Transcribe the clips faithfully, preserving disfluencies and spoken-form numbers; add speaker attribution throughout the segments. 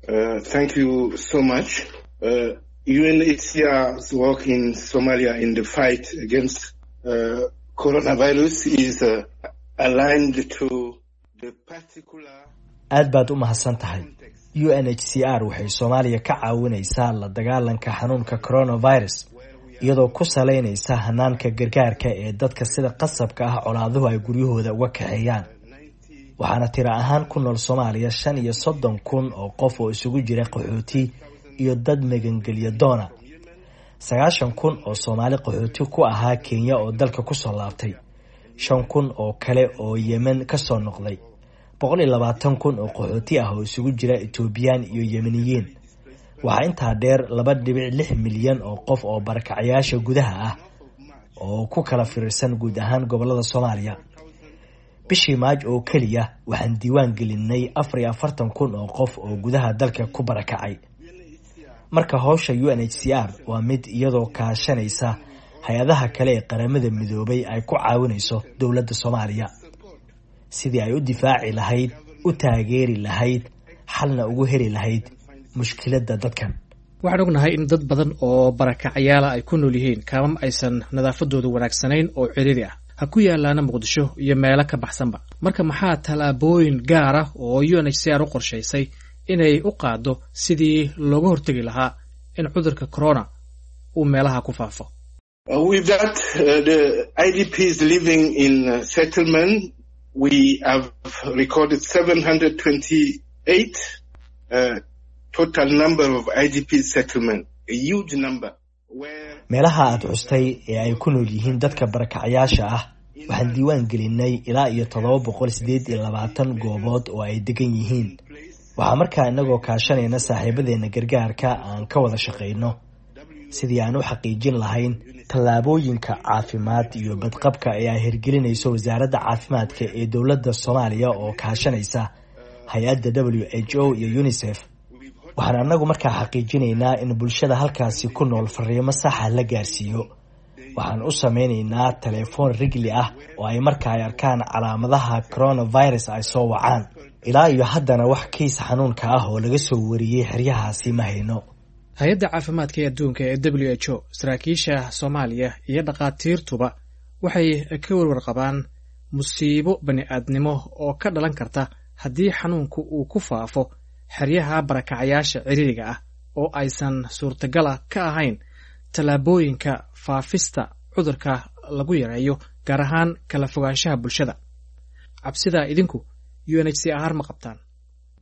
Speaker 1: Uh, thank you so much. Uh, U N H C R's work in Somalia in the fight against uh, coronavirus is uh, aligned to the particular
Speaker 2: Aad baad u mahadsan tahay. U N H C R waxay Soomaaliya ka caawinaysaa la dagaalanka xanuunka coronavirus, iyadoo ku saleynaysa hanaanka gargaarka ee dadka sida qasabka ah colaaduhu ay guryahooda uga kaxeeyaan. Waxaana tiro ahaan ku nool Soomaaliya shan iyo soddon kun oo qof oo isugu jira qaxooti iyo dad magangelya doona, sagaashan kun oo Soomaali qaxooti ku ahaa Kenya oo dalka kusoo laabtay, shan kun oo kale oo Yemen kasoo noqday, boqol iyo labaatan kun oo qaxooti ah oo isugu jira Etoobiyaan iyo Yemeniyiin. Waxaa intaa dheer laba dhibic lix milyan oo qof oo barakacayaasha gudaha ah oo ku kala firirsan guud ahaan gobolada Soomaaliya. Bishii Maaj oo keliya waxaan diiwaan gelinay afar iyo afartan kun oo qof oo gudaha dalka ku barakacay. Marka howsha U N H C R waa mid iyadoo kaashanaysa hay-adaha kale ee Qaramada Midoobay ay ku caawinayso dowladda Soomaaliya sidii ay u difaaci lahayd, u taageeri lahayd, xalna ugu heli lahayd mushkiladda dadkan.
Speaker 3: Waxaan ognahay in dad badan oo barakacyaala ay ku nool yihiin kaamam aysan nadaafadoodu wanaagsanayn oo cidhiri ah, ha ku yaalaana Muqdisho iyo meelo ka baxsanba. Marka maxaa tallaabooyin gaar ah oo U N H C R u qorshaysay inay u qaaddo sidii looga hortegi lahaa in cudurka corona uu meelaha ku faafo?
Speaker 1: Uh, with that, uh, the I D Ps living in uh, settlement, we have recorded seven hundred twenty-eight uh, total number of I D P settlement, a huge number. Where
Speaker 2: Meelaha aad xustay ee ay ku nool yihiin dadka barakacyaasha ah waxaan diiwaan gelinay ilaa iyo toddoba boqol sideed iyo labaatan goobood oo ay degan yihiin. Waxaa markaa inagoo kaashanayna saaxiibadeena gargaarka aan ka wada shaqayno sidii aan u xaqiijin lahayn tallaabooyinka caafimaad iyo badqabka ee ay hirgelinayso Wasaaradda Caafimaadka ee dowladda Soomaaliya oo kaashanaysa hay-adda W H O iyo UNICEF. Waxaan annagu markaa xaqiijinaynaa in bulshada halkaasi ku nool fariimo saxa la gaarsiiyo. Waxaan u sameynaynaa telefoon rigli ah oo ay marka ay arkaan calaamadaha coronavirus ay soo wacaan. Ilaa iyo haddana wax kiis xanuunka ah oo laga soo wariyey xeryahaasi ma hayno.
Speaker 3: Hay-adda caafimaadka ee adduunka ee W H O, saraakiisha Soomaaliya iyo dhakhaatiirtuba waxay ka warwar qabaan musiibo bani-aadnimo oo ka dhalan karta haddii xanuunku uu ku faafo xeryaha barakacayaasha ciriiriga ah oo aysan suurtagala ka ahayn tallaabooyinka faafista cudurka lagu yareeyo, gaar ahaan kala fogaanshaha bulshada. Cabsidaa idinku U N H C R ma qabtaan?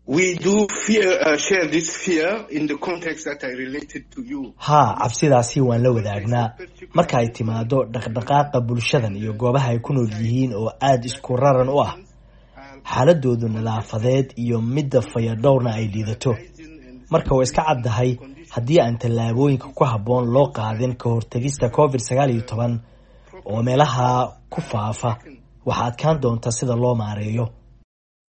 Speaker 1: We do fear, uh, share this fear in the context that I related to you.
Speaker 2: Haa, cabsidaasi waan la wadaagnaa. Marka ay timaado dhaqdhaqaaqa bulshadan iyo goobaha ay ku nool yihiin oo aada isku raran u ah, xaaladoodu nadaafadeed iyo midda fayadhowrna ay liidato. Marka way iska caddahay, haddii aan tallaabooyinka ku habboon loo qaadin ka hortagista COVID sagaal iyo toban oo meelaha ku faafa, waxaa adkaan doonta sida loo maareeyo.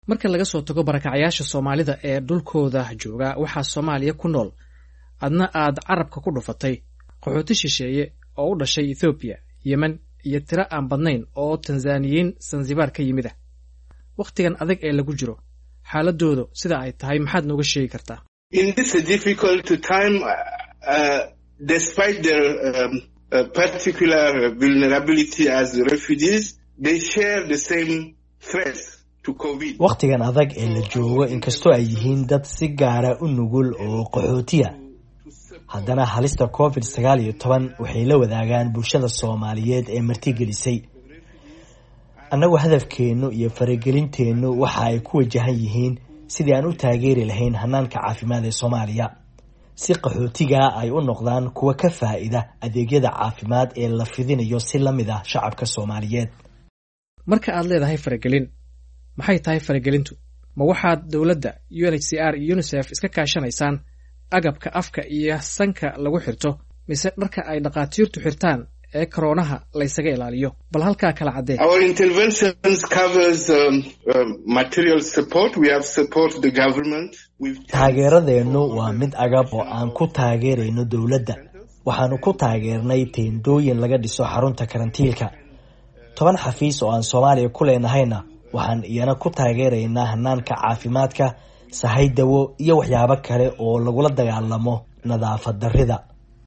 Speaker 3: Marka laga soo tago barakacyaasha Soomaalida ee dhulkooda jooga, waxaa Soomaaliya ku nool, adna aad carabka ku dhufatay, qaxooti shisheeye oo u dhashay Ethoobiya, Yemen iyo tiro aan badnayn oo Tanzaniyiin Sansibaar ka yimid ah. Wakhtigan adag ee lagu jiro, xaaladoodu sida ay tahay maxaad nooga sheegi kartaa?
Speaker 1: In this difficult time, uh, despite their um, uh, particular vulnerability as refugees, they share the same threats to COVID.
Speaker 2: Wakhtigan adag ee la joogo, inkastoo ay yihiin dad si gaara u nugul oo qaxootiya, haddana halista COVID sagaal iyo toban waxay la wadaagaan bulshada Soomaaliyeed ee martigelisay. Annagu hadafkeennu iyo faragelinteennu waxa ay ku wajahan yihiin sidii aan u taageeri lahayn hanaanka caafimaad ee Soomaaliya, si qaxootiga ay u noqdaan kuwa ka faa'iida adeegyada caafimaad ee la fidinayo si la mid ah shacabka Soomaaliyeed.
Speaker 3: Marka aad leedahay faragelin, maxay tahay faragelintu? Ma waxaad dowladda, U N H C R iyo UNICEF iska kaashanaysaan agabka afka iyo sanka lagu xirto, mise dharka ay dhakhaatiirtu xirtaan ee koroonaha laysaga ilaaliyo? Bal halkaa kala caddee.
Speaker 1: Our interventions covers um, um, material support. We have support the government with
Speaker 2: Taageeradeennu waa mid agab oo aan ku taageerayno dowladda. Waxaanu ku taageernay teendooyin laga dhiso xarunta karantiilka. Toban xafiis oo aan Soomaaliya ku leenahayna waxaan iyana ku taageeraynaa hanaanka caafimaadka Sahay dawo iyo waxyaabo kale oo lagula dagaalamo nadaafad darrida.